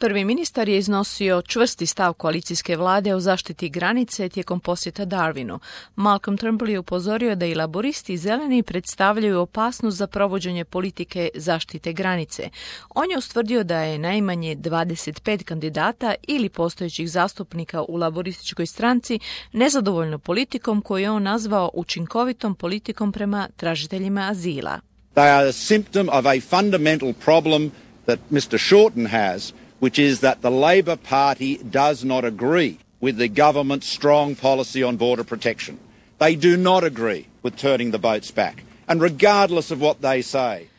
Prvi ministar je iznosio čvrsti stav koalicijske vlade o zaštiti granice tijekom posjeta Darwinu. Malcolm Turnbull je upozorio da i laboristi i zeleni predstavljaju opasnost za provođenje politike zaštite granice. On je ustvrdio da je najmanje 25 kandidata ili postojećih zastupnika u laborističkoj stranci nezadovoljno politikom koju je on nazvao učinkovitom politikom prema tražiteljima azila. They are a symptom of a fundamental problem that Mr. Shorten has, which is that the Labor Party does not agree with the government's strong policy on border protection. They do not agree with turning the boats back. And regardless of what they say,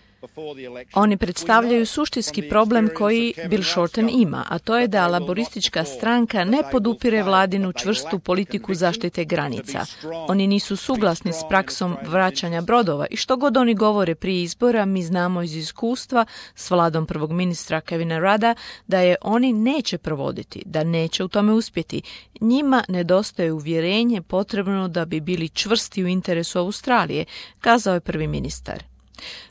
oni predstavljaju suštinski problem koji Bill Shorten ima, a to je da laboristička stranka ne podupire vladinu čvrstu politiku zaštite granica. Oni nisu suglasni s praksom vraćanja brodova i što god oni govore prije izbora, mi znamo iz iskustva s vladom prvog ministra Kevina Rudda da je oni neće provoditi, da neće u tome uspjeti. Njima nedostaje uvjerenje potrebno da bi bili čvrsti u interesu Australije, kazao je prvi ministar.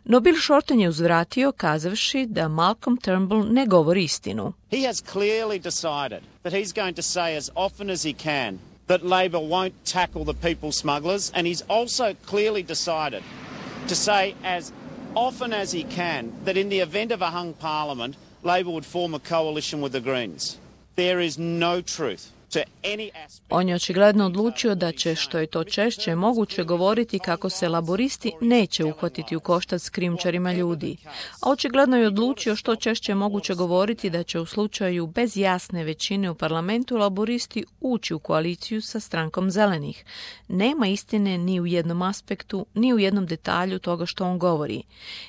No Bill Shorten je uzvratio kazavši da Malcolm Turnbull ne govori istinu. He has clearly decided that he's going to say as often as he can that Labor won't tackle the people smugglers, and he's also clearly decided to say as often as he can that in the event of a hung parliament, Labor would form a coalition with the Greens. There is no truth. On je očigledno odlučio da će, što je to češće moguće, govoriti kako se laboristi neće uhvatiti u koštac s krijumčarima ljudi. A očigledno je odlučio što češće moguće govoriti da će u slučaju bez jasne većine u parlamentu laboristi ući u koaliciju sa strankom zelenih. Nema istine ni u jednom aspektu, ni u jednom detalju toga što on govori.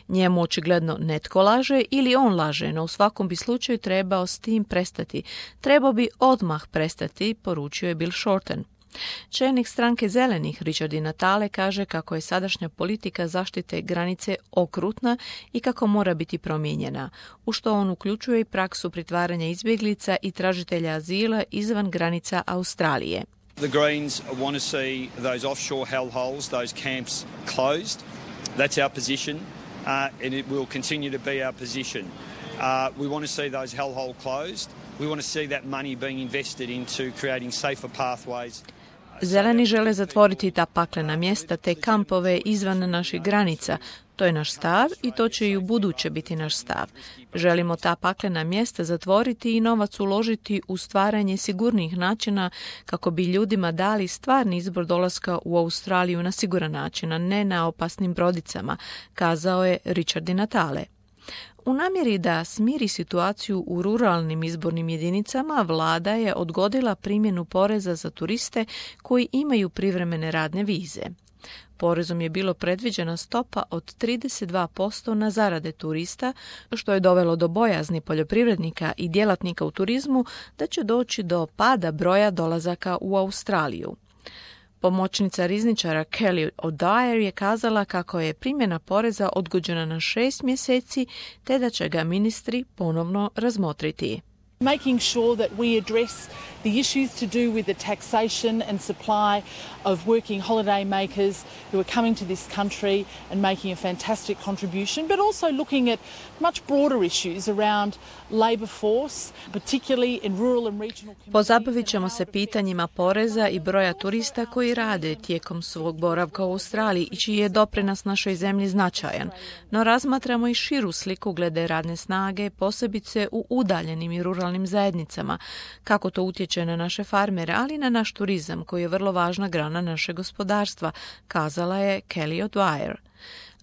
Njemu očigledno netko laže ili on laže, no u svakom bi slučaju trebao s tim prestati. Trebao bi odmah prestati, poručio je Bill Shorten. Čelnik stranke zelenih Richard Di Natale kaže kako je sadašnja politika zaštite granice okrutna i kako mora biti promijenjena, u što on uključuje i praksu pritvaranja izbjeglica i tražitelja azila izvan granica Australije. The Greens want to see those offshore hellholes, those camps closed. That's our position, and it will continue to be our position. We want to see those hellholes closed. We want to see that money being invested into creating safer pathways. Zeleni žele zatvoriti ta paklena mjesta, te kampove izvan naših granica. To je naš stav i to će i u buduće biti naš stav. Želimo ta paklena mjesta zatvoriti i novac uložiti u stvaranje sigurnih načina kako bi ljudima dali stvarni izbor dolaska u Australiju na siguran način, a ne na opasnim brodicama, kazao je Richard Di Natale. U namjeri da smiri situaciju u ruralnim izbornim jedinicama, vlada je odgodila primjenu poreza za turiste koji imaju privremene radne vize. Porezom je bilo predviđena stopa od 32% na zarade turista, što je dovelo do bojazni poljoprivrednika i djelatnika u turizmu da će doći do pada broja dolazaka u Australiju. Pomoćnica rizničara Kelly O'Dwyer je kazala kako je primjena poreza odgođena na 6 mjeseci, te da će ga ministri ponovno razmotriti. Making sure that we address the issues to do with the taxation and supply of working holiday makers who are coming to this country and making a fantastic contribution, but also looking at much broader issues around labour force, particularly in rural and regional communities. Pozabavit ćemo se pitanjima poreza i broja turista koji rade tijekom svog boravka u Australiji i čiji je doprinos našoj zemlji značajan. No razmatramo i širu sliku glede radne snage, posebice u udaljenim i ruralnim zajednicama, kako to utječe na naše farmere, ali i na naš turizam koji je vrlo važna grana našeg gospodarstva, kazala je Kelly O'Dwyer.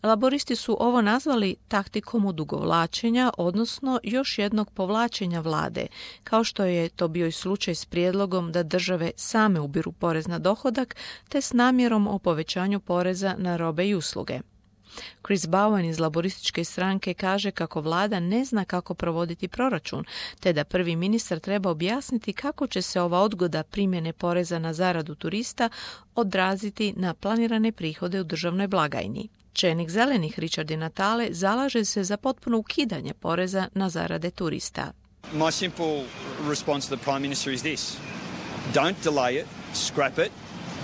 Laboristi su ovo nazvali taktikom odugovlačenja, odnosno još jednog povlačenja vlade, kao što je to bio i slučaj s prijedlogom da države same ubiru porez na dohodak, te s namjerom o povećanju poreza na robe i usluge. Chris Bowen iz laborističke stranke kaže kako vlada ne zna kako provoditi proračun, te da prvi ministar treba objasniti kako će se ova odgoda primjene poreza na zaradu turista odraziti na planirane prihode u državnoj blagajni. Čelnik zelenih Richard Di Natale zalaže se za potpuno ukidanje poreza na zarade turista. My simple response to the Prime Minister is this. Don't delay it, scrap it.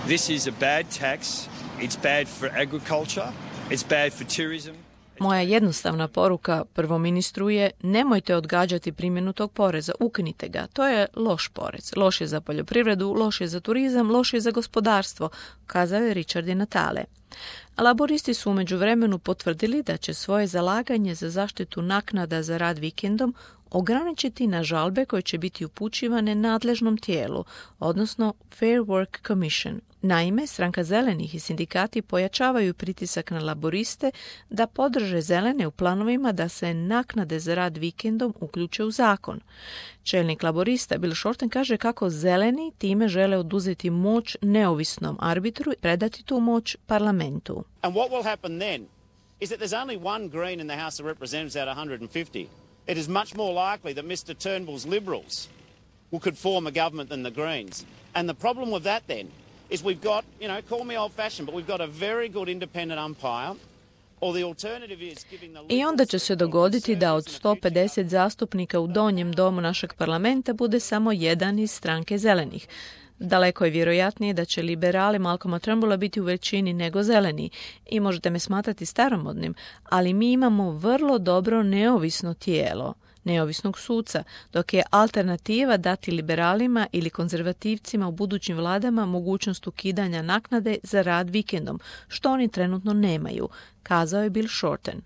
This is a bad tax. It's bad for agriculture. It's bad for tourism. Moja jednostavna poruka prvoministru je nemojte odgađati primjenu tog poreza, ukinite ga. To je loš porez. Loš je za poljoprivredu, loš je za turizam, loš je za gospodarstvo, kazao je Richard Di Natale. Laboristi su u međuvremenu potvrdili da će svoje zalaganje za zaštitu naknada za rad vikendom ograničiti na žalbe koje će biti upućivane nadležnom tijelu, odnosno Fair Work Commission. Naime, stranka Zelenih i sindikati pojačavaju pritisak na laboriste da podrže Zelene u planovima da se naknade za rad vikendom uključe u zakon. Čelnik laborista Bill Shorten kaže kako Zeleni time žele oduzeti moć neovisnom arbitru i predati tu moć parlamentu. And what will happen then is that there's only one Green in the House of Representatives out of 150. It is much more likely that Mr Turnbull's Liberals could form a government than the Greens. And the problem with that then is we've got, call me old-fashioned, but we've got a very good independent umpire. I onda će se dogoditi da od 150 zastupnika u donjem domu našeg parlamenta bude samo jedan iz stranke Zelenih. Daleko je vjerojatnije da će liberali Malcolma Turnbulla biti u većini nego Zeleni i možete me smatrati staromodnim, ali mi imamo vrlo dobro neovisno tijelo, neovisnog suca, dok je alternativa dati liberalima ili konzervativcima u budućim vladama mogućnost ukidanja naknade za rad vikendom, što oni trenutno nemaju, kazao je Bill Shorten.